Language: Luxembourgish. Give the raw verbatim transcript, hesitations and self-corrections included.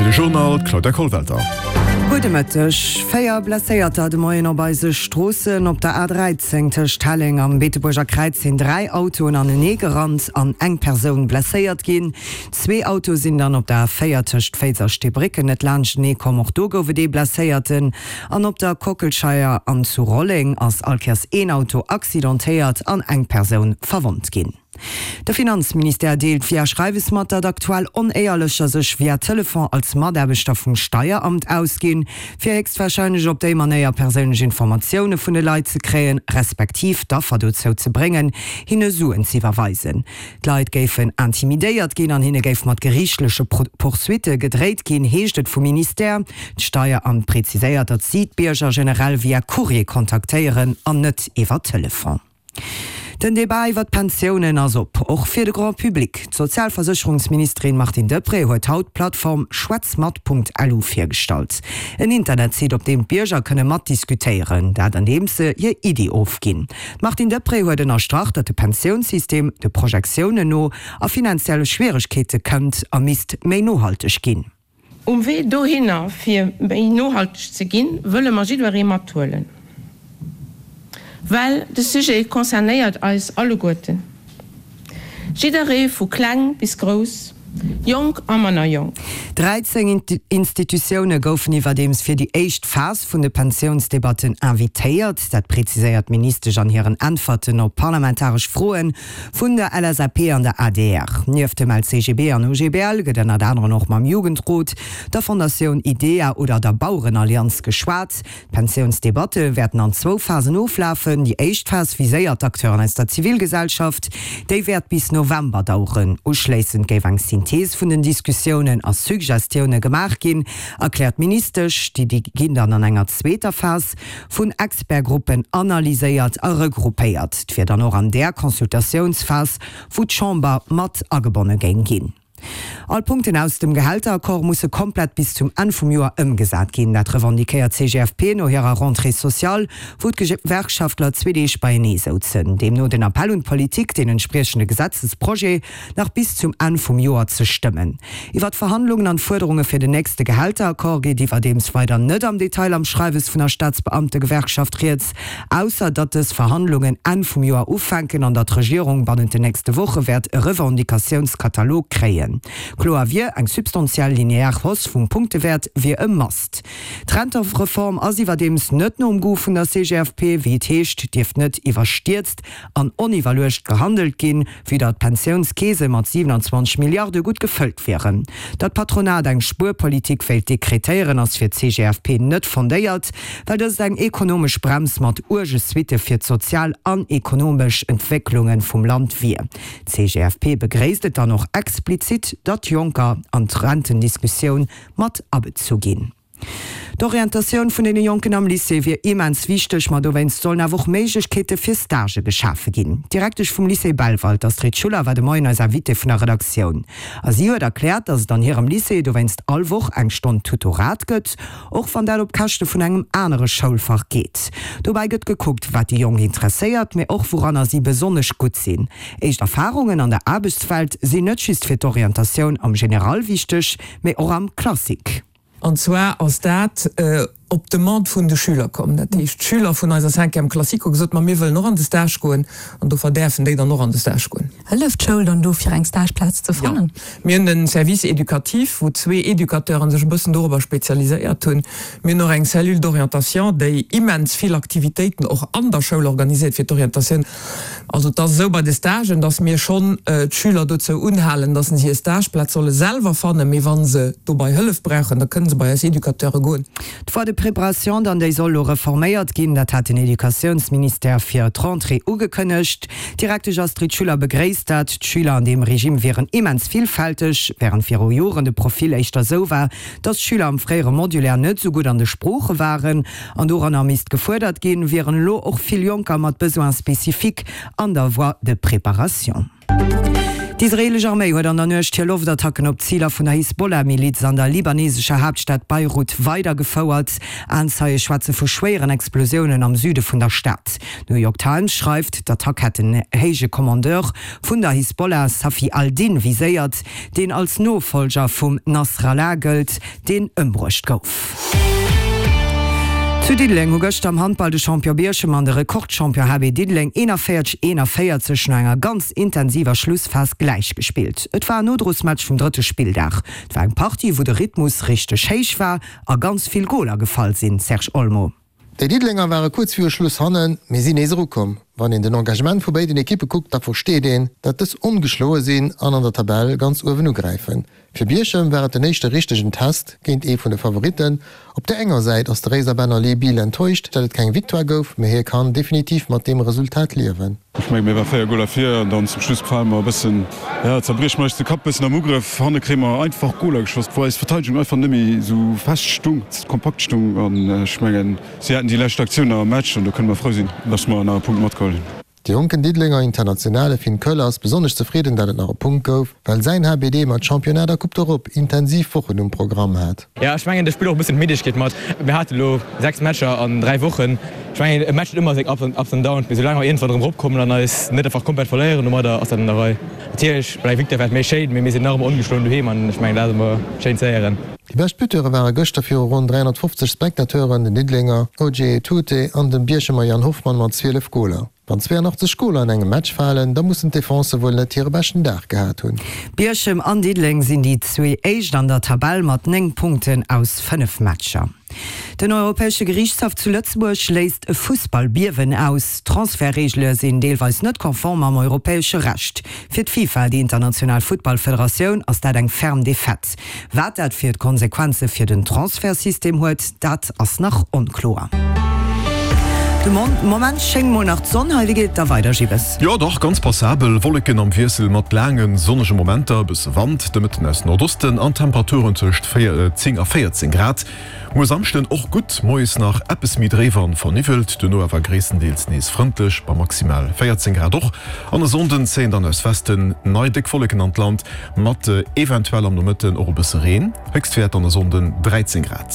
Fir de Journal, d'Claudia Kollwelter. Gudde Mëtteg. Véier Blesséierter de Moien op eise Stroossen. Op der A dräizéng tëscht Helleng am Beetebuerger Kräiz sinn dräi Autoen anenee gerannt an eng Persoun blesséiert ginn. Zwee Autoe sinn dann op der A véier tëscht Féiz a Steebrécken net laanschtenee komm, och do gouf et ee Blesséierten. An op der Kockelscheier an zu Rolleng ass allkéiers een Auto accidentéiert an eng Persoun verwonnt ginn. De Finanzministère deelt via Schreiwes mat, datt aktuell Onéierlecher sech via Telefon als Mataarbechter vum Steieramt ausginn, fir héchstwarscheinlech op déi Manéier perséinlech Informatioune vun de Leit ze kréien, respektiv d'Affer dozou ze bréngen, hinne Suen z'iwwerweisen. D'Leit géifen intimidéiert ginn an hinne géif mat geriichtleche Poursuitte gedréit ginn, heescht et vum Ministère. D'Steieramt preziséiert, datt si d'Bierger generell via Courrier kontaktéieren an net iwwer Telefon. Den Debat iwwer d'Pensiounen ass op, och fir de Grand public. D'Sozialversécherungsministerin Martine Deprez huet haut d'Plattform schwätzmat.lu virgestallt. En Internetsite, op deem d'Bierger kënne matdiskutéieren, dat andeems se hir Iddie ofginn. D'Martine Deprez huet ënnerstrach, datt de Pensiounssystem de Projektiounen no a finanzielle Schwieregkeete kënnt a misst méi nohalteg ginn. Um Wee dohinner, fir méi nohalteg ze ginn, wëlle mer jiddweree mathuelen. Well de Sujet concernéiert eis alleguerten, jidderee vu kleng bis grouss, jonk a manner jonk. Dräizéng Institutioune goufen iwwerdeems fir déi éischt Phas vun de Pensiounsdebatten invitéiert. Dat preziséiert d'Ministesch an hiren Äntwerten op parlamentaresch Froe vun der L S A P an der A D R. Nieft dem L C G B an O G B L gëtt ënnert anerem och mam Jugendrot, der Fondatioun IDEA oder der Bauerenallianz geschwat. D'Pensiounsdebatte wäerten an zwou Phasen oflafen. Déi éischt Phas viséiert d'Acteuren aus der Zivilgesellschaft. Déi wäert bis November daueren. Uschléissend géif eng Synthees vun den Diskussiounen a Suggestioune gemaach ginn, erkläert d'Ministesch. Déi ginn dann an enger zweeter Phas vun Expertgruppen analyséiert a regroupéiert. Et wier dann och an där Consultatiounsphas, wou d'Chamber mat agebonne géing ginn. All Punkten aus dem Gehälteraccord musse komplett bis zum Enn vum Joer ëmgesat ginn. Dat revendiquéiert d'C G F P no hirer Rentrée sociale, wou d'Gewerkschaftler zwee Deeg beienee souzen. Deemno den Appell un d'Politik, den entspriechende Gesetzesprojet nach bis zum Enn vum Joer ze stëmmen. Iwwer d'Verhandlungen an d'Fuerderunge fir den nächste Gehälteraccord geet iwwerdeems weider net am Detail am Schreiwes vun der Staatsbeamtegewerkschaft rieds, ausser datt dës Verhandlungen Enn vum Joer ufänken an datt d'Regierung bannent den nächste Woche wäert e Revendicatiounskatalog kréien. Kloer wier, eng substantiell linear Hausse vum Punktewäert wier e Must. D'Rentereform ass iwwerdeems net nom Goût vun der C G F P. Wéi et heescht, dierft net iwwerstierzt an oniwwerluecht gehandelt ginn, vue datt d'Pensiounskeese mat siwenanzwanzeg Milliarde gutt gefëllt wieren. Datt d'Patronat eng Spuerpolitik wéilt dekretéieren, ass fir d'C G F P net fondéiert, well dëst eng ekonomesch Brems mat uerge Suitte fir d'sozial an ekonomesch Entwécklunge vum Land wier. D'C G F P begréisst et dann och explizit, datt Jonker an d'Rentendiskussioun mat abezu ginn. D'Orientatioun vun deene Jonken am Lycée wier immens wichteg, ma dowéinst sollen awer och Méiglechkeete fir Stagë geschafe ginn. D'Direktesch vum Lycée Belval, d'Astrid Schuller, war de Moien eis Invitée vun der Redaktioun. A si huet erkläert, datt et an hirem Lycée dowéinst all Woch eng Stonn Tutorat gëtt, och wann dat op Käschte vun engem anere Schoulfach geet. Dobäi gëtt gekuckt, wat déi Jonk interesséiert, mee och wouranner si besonnesch gutt sinn. Éischt Erfarungen an der Aarbechtswelt sinn net just fir d'Orientatioun am General wichteg, mee och am Classique. An zwar ass dat op Demande vun de Schüler komm. Dat heescht, d'Schüler vun eiser Cinquième classique hu gesot, ma mir wëllen och an de Stage goen, an dofir däerfen déi dann och an de Stage goen. Hëlleft d'Schoul dann do fir eng Stageplaz ze fannen? Jo. Mir hunn den Service éducatif, wou zwee Educateuren sech e bëssen dorobber spezialiséiert hunn. Mir hunn och eng Cellule d'orientation, déi immens vill Aktivitéiten och an der Schoul organiséiert fir d'Orientatioun. Also et ass esou bei de Stagen, dass mir schonn d'Schüler dozou unhalen, dass se hir Stageplaz solle selwer fannen, mee wa se dobei Hëllef brauchen, da kënne se bei eis Educateure goen. D'Voie de préparation dann, déi soll elo reforméiert ginn, dat hat den Educatiounsministère fir d'Rentrée ugekënnegt. D'Direktesch Astrid Schuller begréisst dat. D'Schüler an deem Regime wieren immens villfälteg, wärend viru Joren de Profil éischter esou war, datt d'Schüler am fréiere Modulaire net esou gutt an de Sprooche waren an doranner misst gefuerdert ginn, wieren elo och vill Jonker mat Besoins spécifiques an der Voie de préparation. D'israeelesch Arméi huet an der Nuecht hir Loftattacken op Ziler vun der Hisbollah-Miliz an der libanesescher Haaptstad Beirut weidergefouert. Aenzeie schwätze vu schwéieren Explosiounen am Süde vun der Stad. D'New York Times schreift, d'Attack hätt en héije Kommandeur vun der Hisbollah, Safi al-Din, viséiert, deen als Nofollger vum Nasrallah gëllt, deen ëmbruecht gouf. Zu Diddeleng hu gëschter am Handball de Champion Bierchem an de Rekordchampion H B Diddeleng eenanvéierzeg eenanvéierzeg no enger ganz intensiver Schlussphas gläichgespillt. Et war en Nodrosmatch vum drëtte Spilldag. Et war eng Partie, wou de Rhythmus richteg héich war a ganz vill Goler gefall sinn, Serge Olmo. Déi Diddelenger ware kuerz viru Schluss hannen, mee sinn nees erukomm. Wann een den Engagement vu béiden Ekippe kuckt, da versteet een, dat dës ongeschloe sinn an an der Tabell ganz uewen ugräifen. Fir Bierchem war et den éischte richtegen Test géint ee vun de Favoritten. Op der enger Säit ass de Réiser Benner Lee Biel enttäuscht, dat et keng Victoire gouf, mee hie kann definitiv mat deem Resultat liewen. Ech mengen, mir ware véier Goler vir an dann zum Schluss fale mer e bëssen, ja, zerbrieche mer eis de Kapp bëssen am Ugrëff. Hanne kréie mer einfach Goler geschoss, wou eis Verteidegung einfach net méi esou fest stung, kompakt stung an ech mengen, si haten déi lescht Aktioun nach am Match an do kënne mer frou sinn, dass mer nach e Punkt matgeholl hunn. De jonken Diddelenger Internationale Finn Köller ass besonnesch zefridden, dat et nach e Punkt gouf, well säin H B D mat Championnat a Coupe d'Europe intensiv Wochen um Programm hat. Jo, ech mengen, do spillt och e bëssen d'Middegkeet mat. Mir hate lo sechs Matcher an dräi Wochen. Ech mengen, e Match huet ëmmer seng Ups an Downs, mee soulaang mer iergendwann erëm eropkommen an eis net einfach komplett verléieren domadder, ass dat an der Rei. Natierlech, bei enger Victoire wär et méi schéin, mee mir sinn nach ëmmer ongeschloen doheem an ech mengen, dat ass ëmmer schéin ze héieren. Déi bescht Buteure ware gëschter viru ronn dräihonnertfofzeg Spectateuren den Diddelenger Ojie Etute an de Bierchemer Yann Hoffmann mat zwielef Goler. Wann zweeanachtzeg Goler an engem Match falen, da mussen d'Defensë wuel net hire beschten Dag gehat hunn. Bierchem an Diddeleng sinn déi zwee Éischt an der Tabell mat néng Punkten aus fënnef Matcher. Den Europäesche Geriichtshaff zu Lëtzebuerg léist e Fussball-Biewen aus. D'Transfertreegele sinn deelweis net konform mam europäesche Recht. Fir d'FIFA, déi international Futtballfederatioun, ass dat eng ferm Defaite. Wat dat fir d'Konsequenze fir den Transfertsystem huet, dat ass nach onkloer. De Moment schéngt mol nach d'Sonn hei. Wéi geet et da weider, Gibbes? Jo dach, ganz passabel. Wolleken am Wiessel mat laange sonnege Momenter, e bësse Wand de Mëtten aus Nordosten an Temperaturen tëscht zéng a véierzéng Grad. Muer Samschden och gutt, moies nach eppes méi dréif an verniwwelt, duerno awer gréisstendeels nees frëndlech bei maximal véierzéng Grad och. An e Sonnden zéien dann aus Westen nei déck Wolleken an d'Land, mat eventuell am Nomëtten och e bësse Reen. Héchstwäert dann e Sonnden dräizéng Grad.